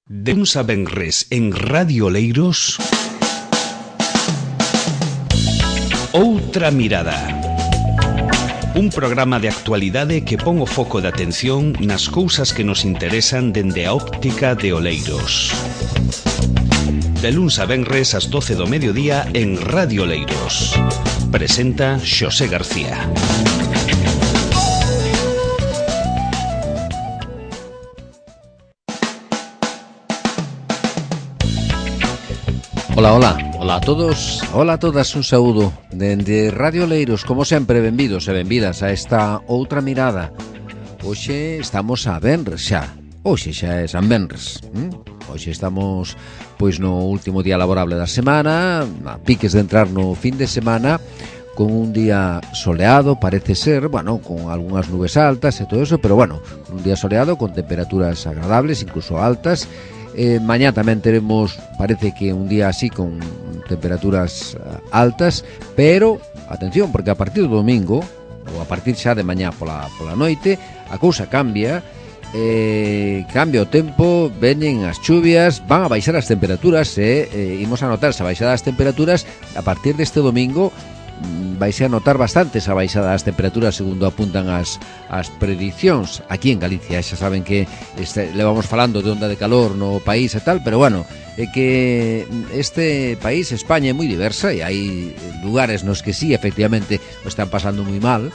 De luns a venres en Radio Oleiros, Outra Mirada. Un programa de actualidade que pon o foco de atención nas cousas que nos interesan dende a óptica de Oleiros. De luns a venres ás 12 do mediodía en Radio Oleiros. Presenta Xosé García. Ola a todos, ola a todas, un saúdo dende Radio Oleiros, como sempre, benvidos e benvidas a esta outra mirada. Hoxe estamos a venres xa, hoxe xa é San Venres. Hoxe estamos pois no último día laborable da semana, a piques de entrar no fin de semana, con un día soleado, parece ser, bueno, con algunhas nubes altas e todo eso, pero bueno, un día soleado con temperaturas agradables, incluso altas. Mañá tamén teremos, parece que un día así con temperaturas altas, pero atención, porque a partir do domingo ou a partir xa de mañá pola noite a cousa cambia, cambia o tempo, veñen as chuvias, van a baixar as temperaturas e imos a notar esa baixada das temperaturas a partir deste domingo. Vais a notar bastante esa baixada das temperaturas segundo apuntan as predicións aquí en Galicia. Xa saben que levamos falando de onda de calor no país e tal, pero bueno, é que este país, España, é moi diversa e hai lugares nos que sí, efectivamente, o están pasando moi mal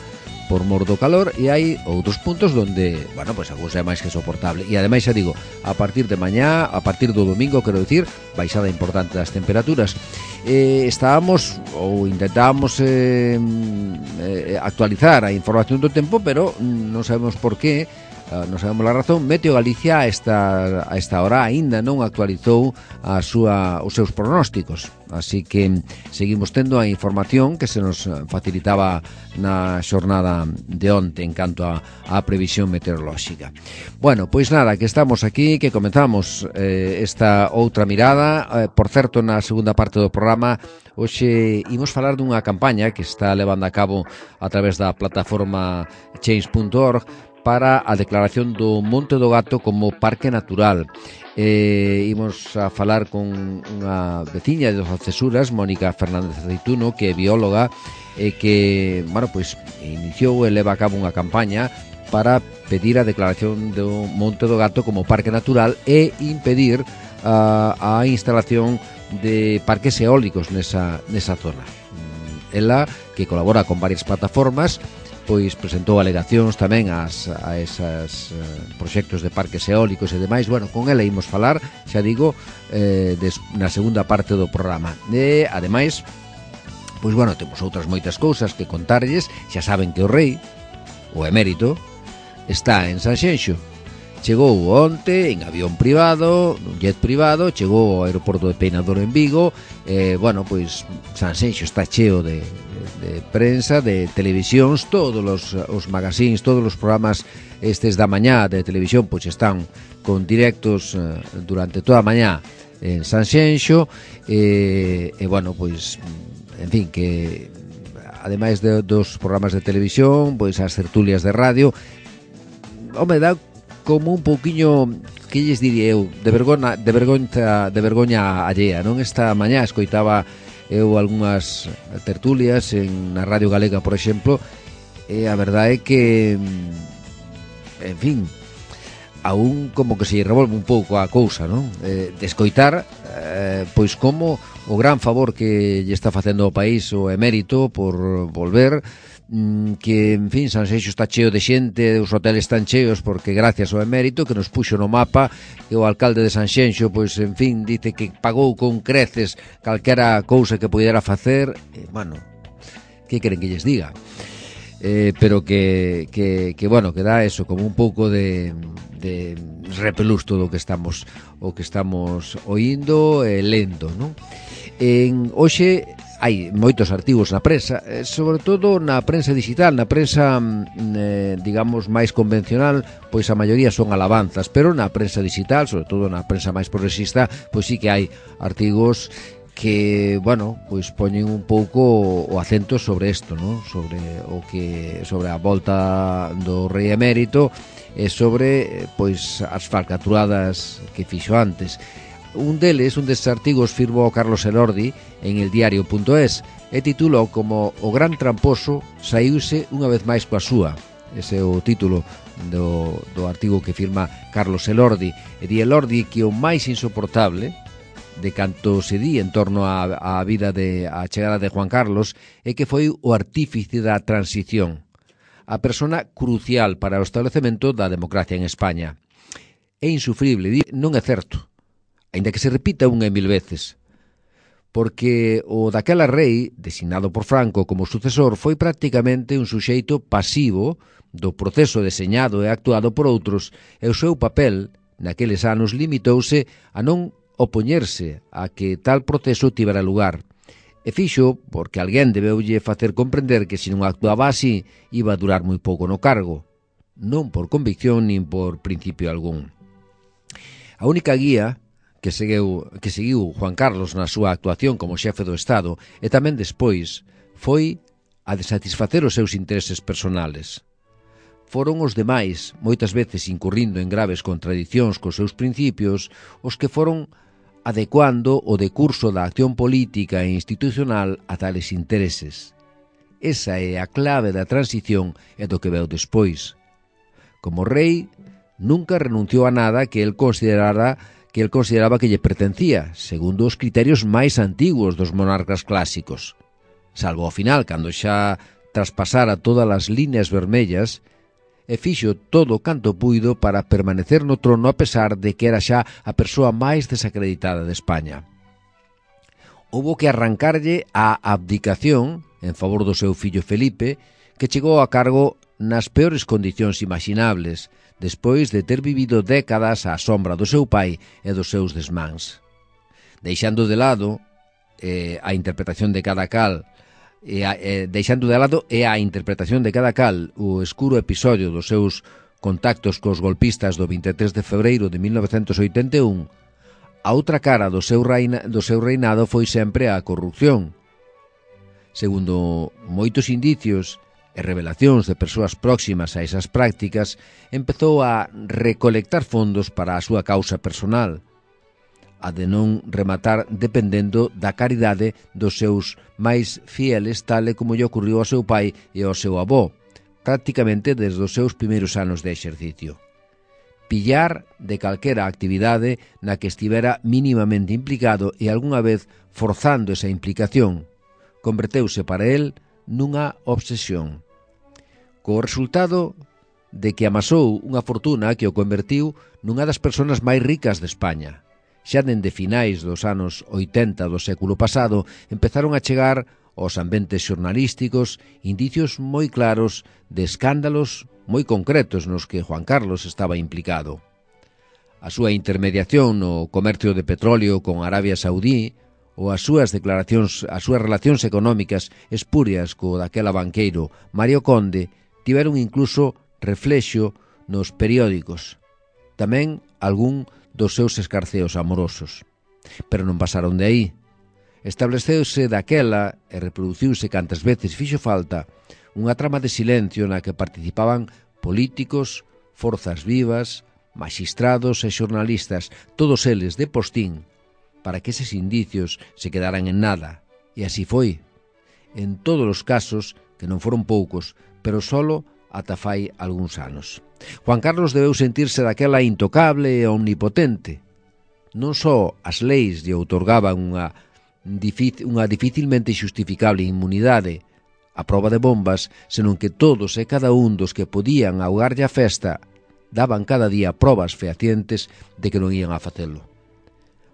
por mor do calor, e hai outros puntos donde, bueno, pues a cousa é máis que soportable. E ademais, xa digo, a partir de mañá, a partir do domingo, quero dicir, baixada importante das temperaturas. Estábamos ou intentábamos actualizar a información do tempo, pero non sabemos por qué, non sabemos a razón. Meteo Galicia a esta hora aínda non actualizou os seus pronósticos, así que seguimos tendo a información que se nos facilitaba na xornada de onte en canto a previsión meteorolóxica. Bueno, pois nada, que estamos aquí, que comenzamos esta outra mirada. Por certo, na segunda parte do programa hoxe imos falar dunha campaña que está levando a cabo a través da plataforma change.org para a declaración do Monte do Gato como parque natural. Imos a falar con unha veciña de Alcesuras, Mónica Fernández Aceituno, que é bióloga e que, bueno, pois iniciou e leva a cabo unha campaña para pedir a declaración do Monte do Gato como parque natural e impedir a instalación de parques eólicos nesa zona. Ela, que colabora con varias plataformas, pois presentou alegacións tamén a esas proxectos de parques eólicos e demais. Bueno, con ela imos falar, xa digo, na segunda parte do programa. E, ademais, pois, bueno, temos outras moitas cousas que contarlles. Xa saben que o rei, o emérito, está en Sanxenxo. Chegou onte en avión privado, nun jet privado, chegou ao aeroporto de Peinador en Vigo. Bueno, pois Sanxenxo está cheo de prensa, de televisións, todos os magazines, todos os programas estes da mañá de televisión, pois están con directos durante toda a mañá en Sanxenxo. Bueno, pois, en fin, que ademais dos programas de televisión, pois as tertulias de radio, home, dá como un pouquiño, que lles diría eu, de vergoña allea, non? Esta mañá escoitaba eu algunhas tertulias na Radio Galega, por exemplo, e a verdade é que, en fin, aún como que se revolve un pouco a cousa, non? De escoitar, pois como o gran favor que lle está facendo ao país o emérito por volver, que, en fin, Sanxenxo está cheo de xente, os hoteles están cheos porque gracias ao emérito que nos puxo no mapa, e o alcalde de Sanxenxo, pois, en fin, dice que pagou con creces calquera cousa que pudera facer. Bueno, que queren que lles diga? Pero que bueno, que dá eso, como un pouco de repelús todo o que estamos oindo e lendo, non? Hoxe hai moitos artigos na prensa, sobre todo na prensa digital, na prensa, digamos, máis convencional, pois a maioría son alabanzas, pero na prensa digital, sobre todo na prensa máis progresista, pois sí que hai artigos que, bueno, pois poñen un pouco o acento sobre isto, ¿no? Sobre a volta do rei emérito e sobre pois as falcatruadas que fixo antes. Un destes artigos firmou Carlos Elordi en eldiario.es e titulou como "O gran tramposo saíuse unha vez máis coa súa". Ese é o título do artigo que firma Carlos Elordi. E di Elordi que o máis insoportable de canto se di en torno á vida a chegada de Juan Carlos é que foi o artífice da transición, a persona crucial para o establecemento da democracia en España. É insufrible, non é certo, aínda que se repita unha e mil veces, porque o daquela rei, designado por Franco como sucesor, foi prácticamente un suxeito pasivo do proceso deseñado e actuado por outros, e o seu papel naqueles anos limitouse a non opoñerse a que tal proceso tivera lugar. E fixo porque alguén debeulle facer comprender que se non actuaba así iba a durar moi pouco no cargo, non por convicción nin por principio algún. A única guía que seguiu Juan Carlos na súa actuación como xefe do Estado e tamén despois foi a de satisfacer os seus intereses personales. Foron os demais, moitas veces incurrindo en graves contradicións cos seus principios, os que foron adecuando o decurso da acción política e institucional a tales intereses. Esa é a clave da transición e do que veu despois. Como rei, nunca renunciou a nada que el consideraba que lle pertencía, segundo os criterios máis antiguos dos monarcas clásicos. Salvo ao final, cando xa traspasara todas as líneas vermellas, e fixo todo canto puido para permanecer no trono a pesar de que era xa a persoa máis desacreditada de España. Houbo que arrancarlle a abdicación en favor do seu fillo Felipe, que chegou a cargo nas peores condicións imaginables, despois de ter vivido décadas á sombra do seu pai e dos seus desmáns. Deixando de lado a interpretación de cada cal o escuro episodio dos seus contactos cos golpistas do 23 de febreiro de 1981, a outra cara do seu reinado foi sempre a corrupción. Segundo moitos indicios e revelacións de persoas próximas a esas prácticas, empezou a recolectar fondos para a súa causa personal, a de non rematar dependendo da caridade dos seus máis fieles, tal e como lle ocurriu ao seu pai e ao seu avó, prácticamente desde os seus primeiros anos de exercicio. Pillar de calquera actividade na que estivera mínimamente implicado e algunha vez forzando esa implicación, converteuse para el nunha obsesión, co resultado de que amasou unha fortuna que o convertiu nunha das persoas máis ricas de España. Xa dende finais dos anos 80 do século pasado empezaron a chegar aos ambientes xornalísticos indicios moi claros de escándalos moi concretos nos que Juan Carlos estaba implicado. A súa intermediación no comercio de petróleo con Arabia Saudí ou as súas relacións económicas espurias co daquela banqueiro Mario Conde tiveron incluso reflexo nos periódicos, tamén algún dos seus escarceos amorosos. Pero non pasaron de aí. Estableceuse daquela e reproduciuse cantas veces fixo falta unha trama de silencio na que participaban políticos, forzas vivas, maxistrados e xornalistas, todos eles de postín, para que eses indicios se quedaran en nada. E así foi. En todos os casos, que non foron poucos, pero solo ata fai algúns anos. Juan Carlos debeu sentirse daquela intocable e omnipotente. Non só as leis lle outorgaban unha dificilmente xustificable inmunidade a proba de bombas, senón que todos e cada un dos que podían augarlle a festa daban cada día probas fehacientes de que non ían a facelo.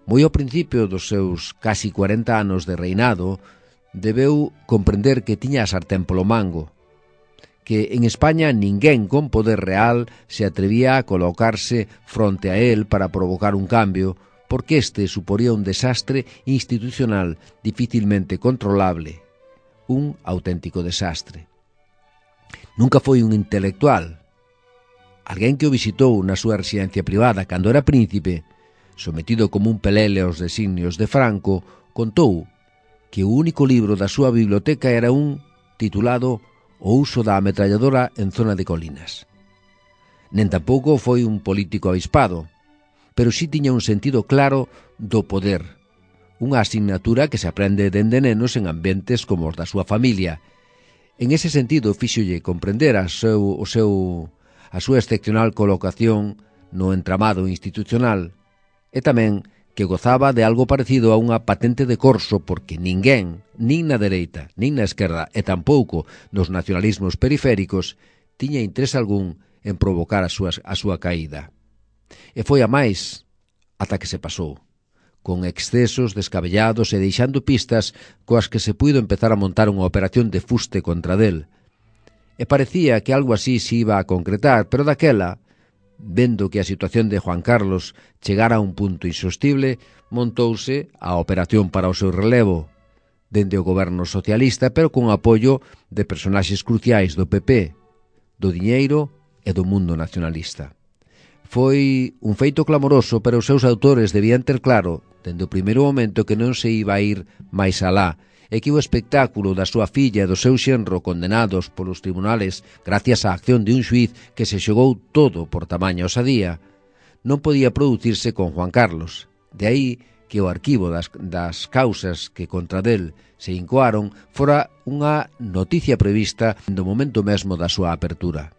Moi ao principio dos seus casi 40 anos de reinado, debeu comprender que tiña a sartén polo mango, que en España ninguén con poder real se atrevía a colocarse fronte a él para provocar un cambio, porque este suporía un desastre institucional dificilmente controlable, un auténtico desastre. Nunca foi un intelectual. Alguén que o visitou na súa residencia privada cando era príncipe, sometido como un pelele aos designios de Franco, contou que o único libro da súa biblioteca era un titulado O uso da ametralladora en zona de colinas. nen tampouco foi un político avispado, pero sí tiña un sentido claro do poder, unha asignatura que se aprende dende nenos en ambientes como os da súa familia. En ese sentido, fíxolle comprender a súa excepcional colocación no entramado institucional e tamén que gozaba de algo parecido a unha patente de corso porque ninguén, nin na dereita, nin na esquerda e tampouco nos nacionalismos periféricos, tiña interés algún en provocar a súa caída. E foi a máis ata que se pasou, con excesos descabellados e deixando pistas coas que se puido empezar a montar unha operación de fuste contra del. E parecía que algo así se iba a concretar, pero daquela, vendo que a situación de Juan Carlos chegara a un punto insostible, montouse a operación para o seu relevo, dende o goberno socialista, pero con apoio de personaxes cruciais do PP, do diñeiro e do mundo nacionalista. Foi un feito clamoroso, pero os seus autores debían ter claro, dende o primeiro momento, que non se iba a ir máis alá, e que o espectáculo da súa filla e do seu xenro condenados polos tribunales gracias á acción de un xuíz que se xogou todo por tamaña osadía, non podía producirse con Juan Carlos. De aí que o arquivo das causas que contra del se incoaron fora unha noticia prevista do momento mesmo da súa apertura.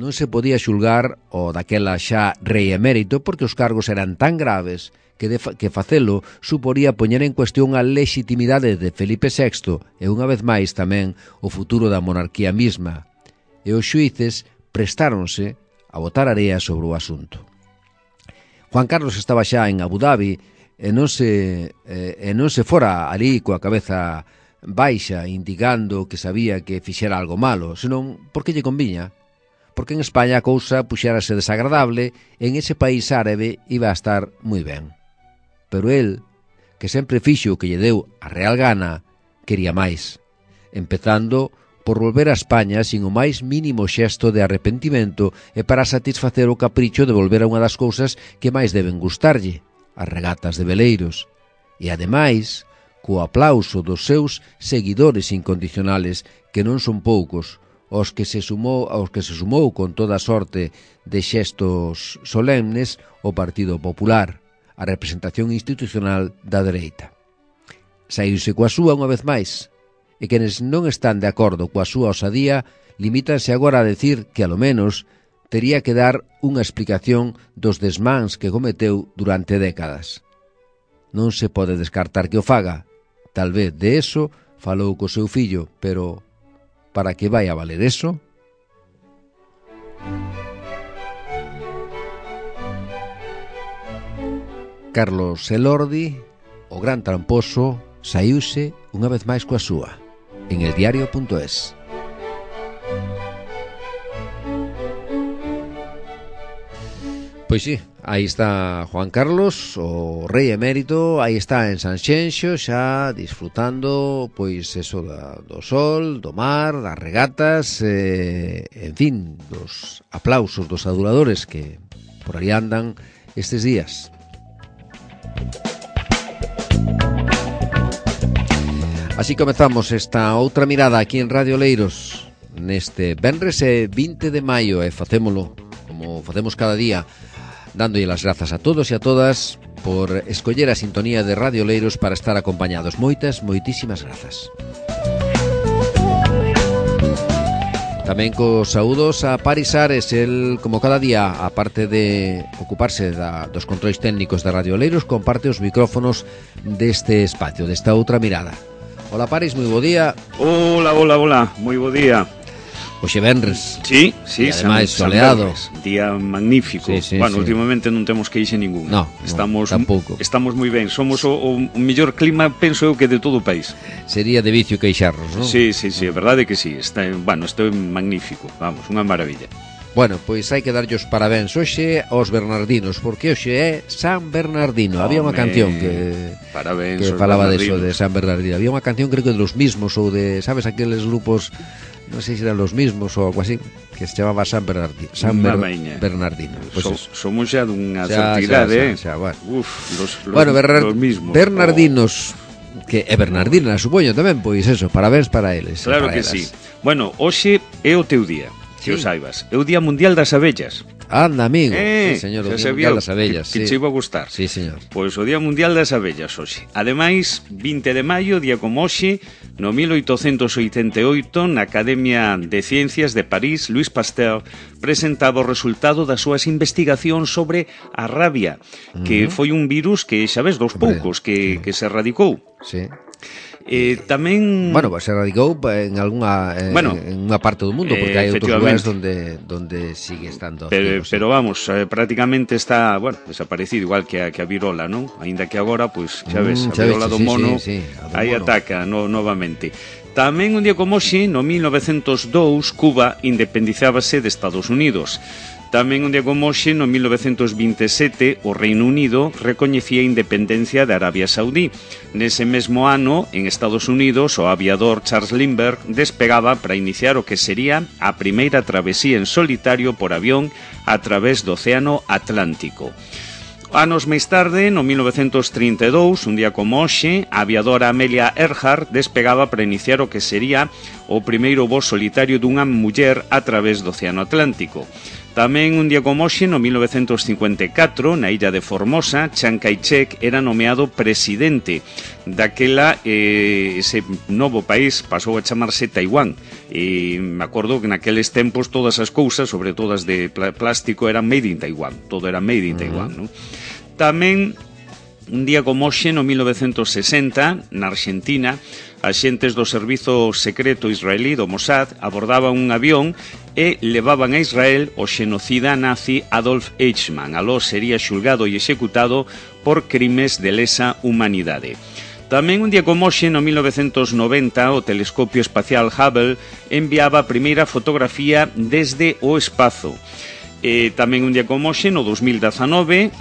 Non se podía xulgar o daquela xa rei emérito porque os cargos eran tan graves que facelo suporía poñer en cuestión a legitimidade de Felipe VI e unha vez máis tamén o futuro da monarquía misma. E os xuíces prestáronse a botar area sobre o asunto. Juan Carlos estaba xa en Abu Dhabi e non se fora ali coa cabeza baixa indicando que sabía que fixera algo malo, senón porque lle conviña. Porque en España a cousa puxérase desagradable e en ese país árabe iba a estar moi ben. Pero el, que sempre fixo o que lle deu a real gana, quería máis, empezando por volver a España sin o máis mínimo xesto de arrepentimento e para satisfacer o capricho de volver a unha das cousas que máis deben gustarlle, as regatas de veleiros, e ademais, co aplauso dos seus seguidores incondicionales, que non son poucos, aos que se sumou con toda sorte de xestos solemnes o Partido Popular, a representación institucional da dereita. Saírse coa súa unha vez máis, e quenes non están de acordo coa súa osadía limítanse agora a decir que, alo menos, tería que dar unha explicación dos desmáns que cometeu durante décadas. Non se pode descartar que o faga. Tal vez de eso falou co seu fillo, pero para que vai a valer eso? Carlos Elordi, o gran tramposo, saíuse unha vez máis coa súa, en eldiario.es. Pois sí, aí está Juan Carlos, o rei emérito, aí está en Sanxenxo, xa disfrutando, pois eso do sol, do mar, das regatas, en fin, dos aplausos dos aduladores que por aí andan estes días. Así comezamos esta outra mirada aquí en Radio Oleiros neste venres 20 de maio e facémolo como facemos cada día, dándolle as grazas a todos e a todas por escoller a sintonía de Radio Oleiros para estar acompañados. Moitísimas grazas. Tamén cos saúdos a Paris Ares, el, como cada día, aparte de ocuparse dos controis técnicos de Radio Oleiros, comparte os micrófonos deste espacio, desta outra mirada. Hola Paris, moi bo día. Hola, moi bo día. Hoxe venres. Sí, e ademais soleado. Día magnífico. Sí, bueno, últimamente non temos queixe ningún. No, tampouco. Estamos moi ben. Somos o mellor clima, penso eu, que de todo o país. Sería de vicio queixarnos, non? Sí, é verdade que sí. Isto é magnífico. Vamos, unha maravilla. Bueno, pois hai que darlle os parabéns hoxe aos bernardinos, porque hoxe é San Bernardino. Había unha canción que falaba deso de San Bernardino. Había unha canción, creo que de los mismos, ou de, sabes, aqueles grupos, non sei se eran los mismos ou algo así, que se chamaba San Bernardino. Bernardino. Pues somos xa dunha certidade, bueno. Los mismos. Bernardinos, que é Bernardina, supoño tamén, pois eso, parabéns para eles. Claro que sí. Bueno, hoxe é o teu día. que o saibas. É o Día Mundial das Abellas. Anda, amigo. Sí, señor, o Día Mundial das Abellas. Que che iba a gustar. Sí, señor. Pois o Día Mundial das Abellas hoxe. Ademais, 20 de maio, día como hoxe, no 1888, na Academia de Ciencias de París, Louis Pasteur presentaba o resultado das súas investigacións sobre a rabia, que foi un virus que, xa ves, dos poucos que se erradicou. Sí. Tamén... Bueno, se radicou en alguna en unha parte do mundo, porque hai outros lugares donde sigue estando activo, pero vamos, prácticamente está, bueno, desaparecido, igual que a virola, non? Aínda que agora, pois, xa ves, a virola do mono aí ataca novamente. Tamén un día como hoxe, no 1902, Cuba independizábase de Estados Unidos. Tamén un día como hoxe, no 1927, o Reino Unido recoñecía a independencia de Arabia Saudí. Nese mesmo ano, en Estados Unidos, o aviador Charles Lindbergh despegaba para iniciar o que sería a primeira travesía en solitario por avión a través do Océano Atlántico. Anos máis tarde, no 1932, un día como hoxe, a aviadora Amelia Earhart despegaba para iniciar o que sería o primeiro voo solitario dunha muller a través do Océano Atlántico. Tamén un día como hoxe, no 1954, na illa de Formosa, Chiang Kai-shek era nomeado presidente daquela, ese novo país pasou a chamarse Taiwán. E me acordo que naqueles tempos todas as cousas, sobre todo as de plástico, eran made in Taiwán. Todo era made in Taiwán, non? Tamén un día como hoxe, no 1960, na Argentina, axentes do servizo secreto israelí do Mossad abordaban un avión e levaban a Israel o xenocida nazi Adolf Eichmann. Aló sería xulgado e executado por crimes de lesa humanidade. Tamén un día como hoxe, no 1990, o telescopio espacial Hubble enviaba a primeira fotografía desde o espazo. Tamén un día como hoxe, no 2019,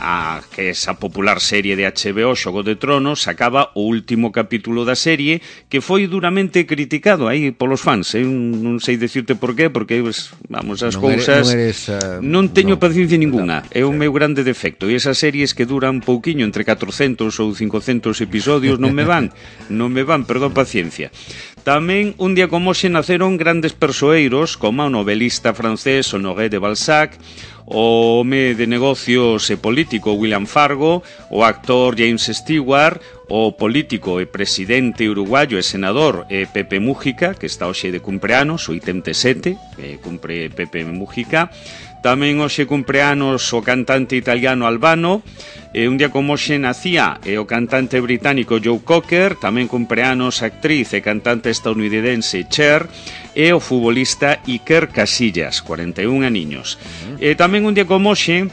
que esa popular serie de HBO Xogo de Tronos sacaba o último capítulo da serie, que foi duramente criticado aí polos fans. Non sei decirte por qué, porque, vamos, as cousas non teño paciencia ninguna. É o meu grande defecto. E esas series que duran pouquiño, entre 400 ou 500 episodios, non me van, perdón, paciencia. Tamén un día como hoxe naceron grandes persoeiros como o novelista francés Honoré de Balzac, o home de negocios e político William Fargo, o actor James Stewart, o político e presidente uruguayo e senador Pepe Mújica, que está hoxe de cumpleanos, 87, cumpre Pepe Mújica. Tamén hoxe cumpleanos o cantante italiano Albano. Un día como hoxe nacía o cantante británico Joe Cocker. Tamén cumpleanos a actriz e cantante estadounidense Cher, e o futbolista Iker Casillas, 41 aniños. Tamén un día como hoxe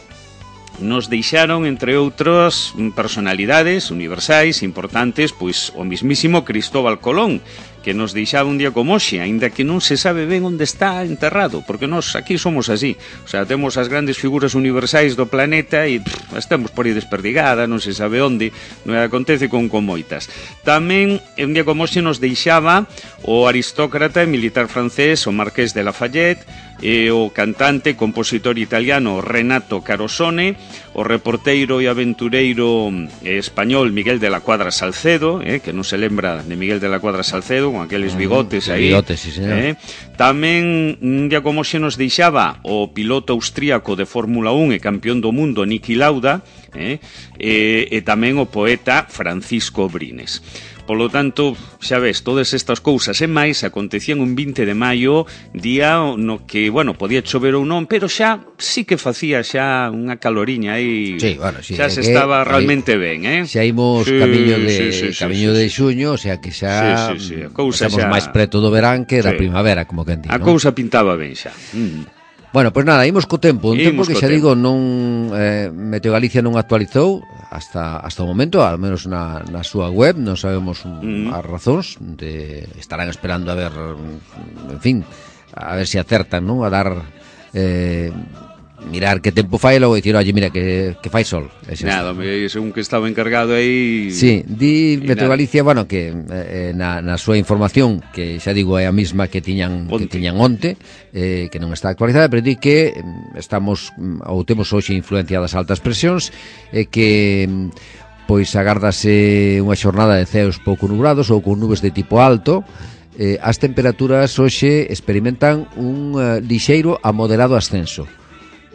nos deixaron, entre outras personalidades universais importantes, pois o mismísimo Cristóbal Colón, que nos deixaba un día como hoxe, aínda que non se sabe ben onde está enterrado, porque nós aquí somos así, o sea, temos as grandes figuras universais do planeta e estamos por aí desperdigada, non se sabe onde, non acontece con moitas. Tamén un día como hoxe nos deixaba o aristócrata e militar francés, o Marqués de Lafayette, e o cantante e compositor italiano Renato Carosone, o reporteiro e aventureiro español Miguel de la Cuadra Salcedo, que non se lembra de Miguel de la Cuadra Salcedo, con aqueles bigotes aí. Bigotes, sí, señor. Tamén un día como xe nos deixaba o piloto austríaco de Fórmula 1 e campeón do mundo Niki Lauda, e tamén o poeta Francisco Brines. Polo tanto, xa ves, todas estas cousas e máis acontecían un 20 de maio, día no que, bueno, podía chover ou non, pero xa sí que facía xa unha caloriña aí, sí, bueno, sí, xa se estaba realmente ben, xa imos camiño de xuño, o sea que xa estamos máis preto do verán que da primavera, como que a cousa pintaba ben xa. Bueno, pois nada, imos co tempo. Un tempo que xa digo, non Meteo Galicia non actualizou hasta o momento, ao menos na súa web. Non sabemos as razóns, estarán esperando a ver, en fin, a ver se acertan, non? A dar mirar que tempo fai e logo dicir, oye, mira, que fai sol. Nada, según que estaba encargado aí... Sí, di Meteo Galicia, bueno, que na súa información, que xa digo é a mesma que tiñan onte, que non está actualizada, pero di que estamos, ou temos hoxe influencia das altas presións, que pois agárdase unha xornada de ceos pouco nubrados ou con nubes de tipo alto, as temperaturas hoxe experimentan un lixeiro a moderado ascenso.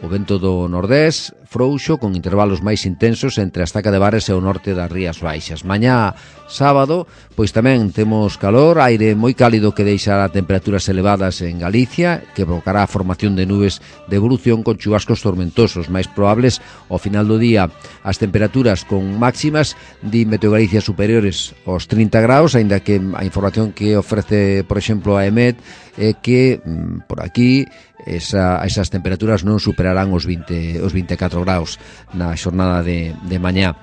O vento do nordés frouxo con intervalos máis intensos entre a Estaca de Bares e o norte das Rías Baixas. Mañá sábado, pois tamén temos calor, aire moi cálido que deixará temperaturas elevadas en Galicia, que provocará a formación de nubes de evolución con chubascos tormentosos, máis probables ao final do día. As temperaturas con máximas de Meteogalicia superiores aos 30 graus, aínda que a información que ofrece, por exemplo, a EMET é que por aquí esas temperaturas non superarán os 24 graus na xornada de mañá.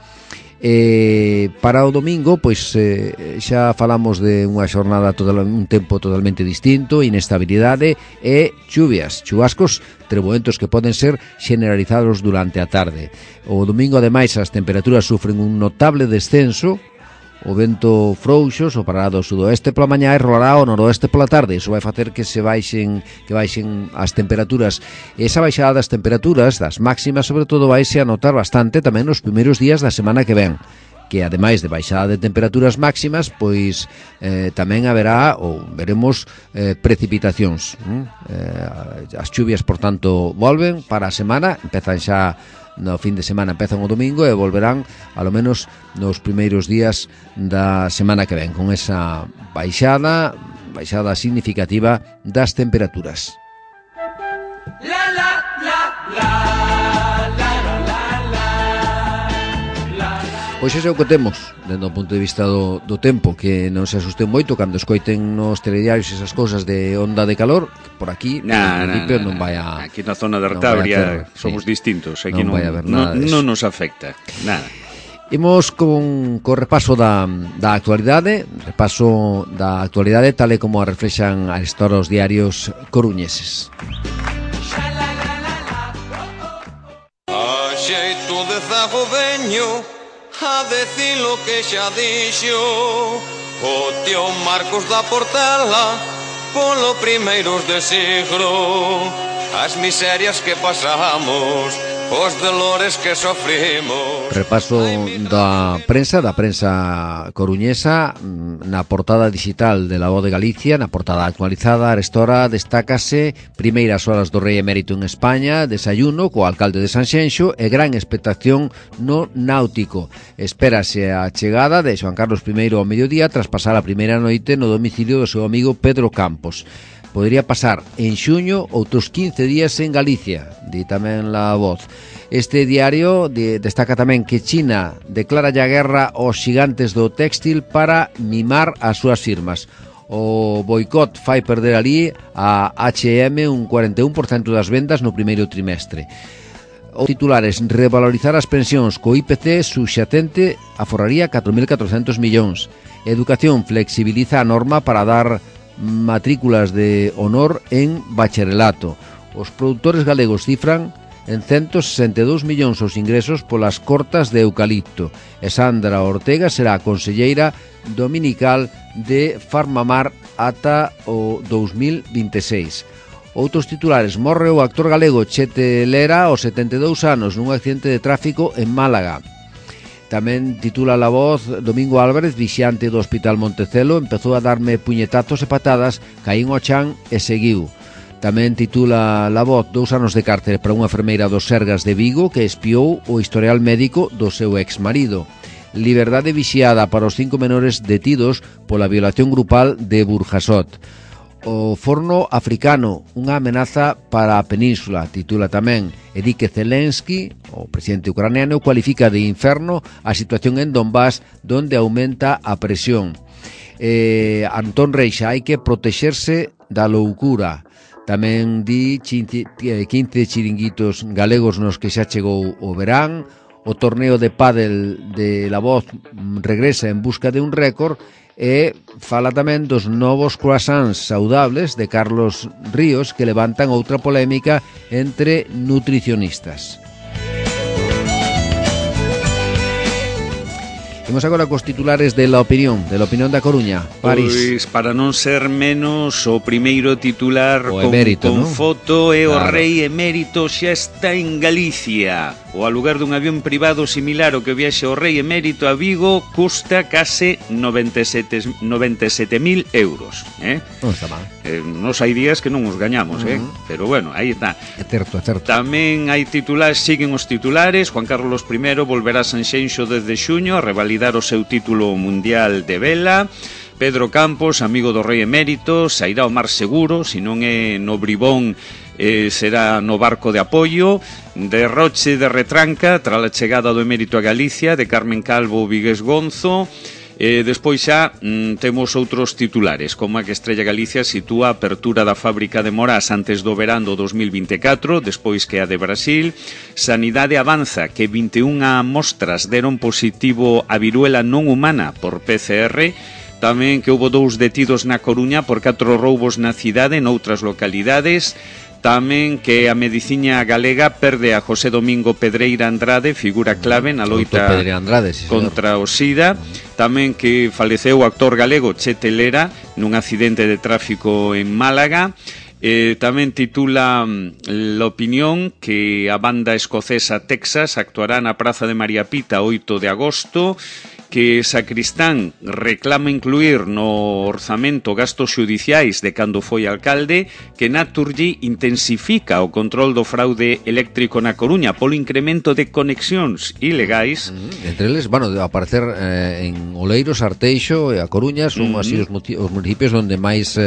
Para o domingo, pois xa falamos de unha xornada, un tempo totalmente distinto, inestabilidade e chuvascos treboentos que poden ser generalizados durante a tarde. O domingo, ademais, as temperaturas sufren un notable descenso. O vento frouxo soprará do sudoeste pola mañá e rolará ao noroeste pola tarde. Iso vai facer que baixen as temperaturas. E esa baixada das temperaturas, das máximas, sobre todo, vaise a notar bastante tamén nos primeiros días da semana que ven, que ademais de baixada de temperaturas máximas, pois tamén haberá, ou veremos, precipitacións. As chuvias, por tanto, volven para a semana, empezan xa no fin de semana, empezan o domingo e volverán alo menos nos primeiros días da semana que ven, con esa baixada significativa das temperaturas. Pois iso é o que temos dentro do punto de vista do tempo, que non se asusten moito cando escoiten nos telediarios esas cousas de onda de calor, que por aquí non vai a... Aquí na zona de Artabria somos distintos, aquí non nos afecta nada. Imos con repaso da actualidade, tal e como a reflexan a esta hora os diarios coruñeses. A xeito de zago veño a decir lo que xa dixo o tío Marcos da Portela polo primeiros de siglo, as miserias que pasamos, os dolores que sofrimos. Repaso da prensa coruñesa na portada digital de La Voz de Galicia, na portada actualizada. A estora destácase primeiras horas do Rei Emérito en España, desayuno co alcalde de Sanxenxo e gran expectación no náutico. Espérase a chegada de Xoán Carlos I ao mediodía tras pasar a primeira noite no domicilio do seu amigo Pedro Campos. Podría pasar en xuño outros 15 días en Galicia, di tamén La Voz. Este diario destaca tamén que China declara a guerra aos xigantes do téxtil para mimar as súas firmas. O boicot fai perder ali a H&M un 41% das vendas no primeiro trimestre. Os titulares: revalorizar as pensións co IPC subxacente aforraría 4.400 millóns. Educación flexibiliza a norma para dar matrículas de honor en bacharelato. Os produtores galegos cifran en 162 millóns os ingresos polas cortas de eucalipto. E Sandra Ortega será a conselleira dominical de Farmamar ata o 2026. Outros titulares: morre o actor galego Chete Lera aos 72 anos nun accidente de tráfico en Málaga. Tamén titula La Voz: Domingo Álvarez, vixiante do Hospital Montecelo, empezou a darme puñetazos e patadas, caín ao chan e seguiu. Tamén titula La Voz: 2 anos de cárcere para unha enfermeira dos Sergas de Vigo que espiou o historial médico do seu exmarido. Liberdade vixiada para os 5 menores detidos pola violación grupal de Burjasot. O forno africano, unha amenaza para a península, titula tamén. E di que Zelensky, o presidente ucraniano, cualifica de inferno a situación en Donbass, donde aumenta a presión. Antón Reixa: hai que protexerse da loucura. Tamén di 15 chiringuitos galegos nos que xa chegou o verán. O torneo de pádel de La Voz regresa en busca de un récord. E fala tamén dos novos croissants saudables de Carlos Ríos, que levantan outra polémica entre nutricionistas. Imos agora cos titulares de La Opinión da Coruña, París. Pois, para non ser menos, o primeiro titular o emérito, con ¿no? foto é claro. O rei emérito xa está en Galicia. O aluguer dun avión privado similar ao que viaxe o rei emérito a Vigo custa case 97.000 euros. Non está mal. Nos hai días que non os gañamos, pero bueno, aí está. É certo. Tamén hai titulares, siguen os titulares. Juan Carlos I volverá a Sanxenxo desde xuño a revalidar o seu título mundial de vela. Pedro Campos, amigo do rei emérito, sairá ao mar seguro, se non é no Bribón, será no barco de apoio. Derroche de retranca tras a chegada do emérito a Galicia, de Carmen Calvo Vigués Gonzo. Despois xa temos outros titulares, como a que Estrella Galicia sitúa a apertura da fábrica de Morás antes do verán do 2024, despois que a de Brasil. Sanidade avanza que 21 mostras deron positivo a viruela non humana por PCR. Tamén que houbo 2 detidos na Coruña por 4 roubos na cidade e noutras localidades. Tamén que a medicina galega perde a José Domingo Pedreira Andrade, figura clave na loita contra o SIDA. Tamén que faleceu o actor galego Che Telera nun accidente de tráfico en Málaga. Tamén titula La Opinión que a banda escocesa Texas actuará na Praza de María Pita 8 de agosto. Que Sacristán reclama incluir no orzamento gastos xudiciais de cando foi alcalde, que Naturgy intensifica o control do fraude eléctrico na Coruña polo incremento de conexións ilegais. Entre eles, bueno, a aparecer en Oleiros, Arteixo e a Coruña son así os municipios onde máis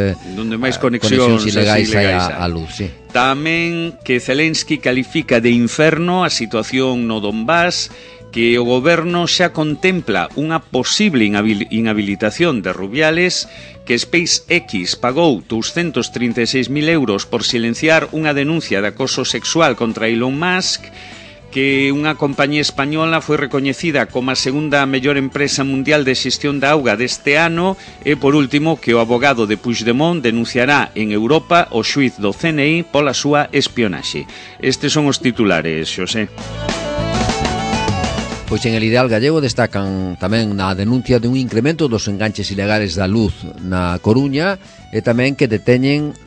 conexións ilegais hai a luz, sí. Tamén que Zelensky califica de inferno a situación no Donbass, que o goberno xa contempla unha posible inhabilitación de Rubiales, que SpaceX pagou 236.000 euros por silenciar unha denuncia de acoso sexual contra Elon Musk, que unha compañía española foi recoñecida como a segunda mellor empresa mundial de xestión da auga deste ano e, por último, que o abogado de Puigdemont denunciará en Europa o xuíz do CNI pola súa espionaxe. Estes son os titulares, Xosé. Pois en El Ideal Gallego destacan tamén na denuncia de un incremento dos enganches ilegales da luz na Coruña e tamén que deteñen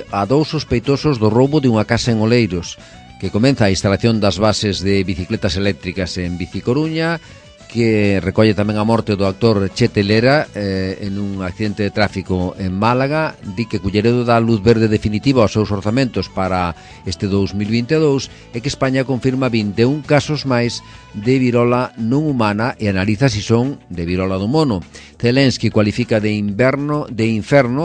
a 2 sospeitosos do roubo de unha casa en Oleiros, que comeza a instalación das bases de bicicletas eléctricas en Bicicoruña, que recolle tamén a morte do actor Che Telera en un accidente de tráfico en Málaga. Di que Culleredo dá luz verde definitiva aos seus orzamentos para este 2022 e que España confirma 21 casos máis de virola non humana e analiza se son de virola do mono. Zelensky cualifica de inferno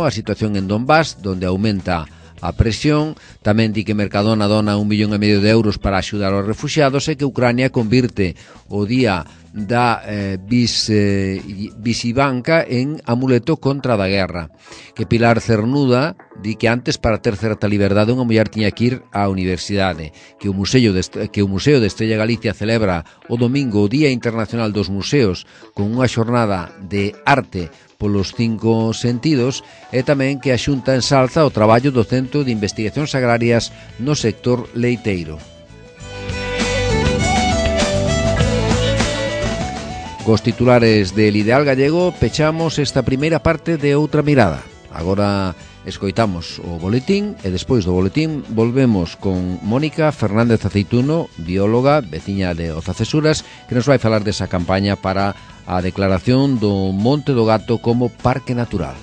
a situación en Donbass, donde aumenta a presión. Tamén di que Mercadona dona 1,5 millón de euros para axudar aos refuxiados e que Ucrania convirte o día da visibanca en amuleto contra da guerra. Que Pilar Cernuda di que antes para ter certa liberdade unha muller tiña que ir á universidade, que o Museo de Estrella Galicia celebra o domingo o Día Internacional dos Museos con unha xornada de arte polos 5 sentidos, e tamén que a Xunta ensalza o traballo do Centro de Investigacións Agrarias no sector leiteiro. Cos titulares del Ideal Gallego pechamos esta primeira parte de Outra Mirada. Agora escoitamos o boletín e despois do boletín volvemos con Mónica Fernández Aceituno, bióloga, veciña de Ozacesuras, que nos vai falar desa campaña para a declaración do Monte do Gato como Parque Natural.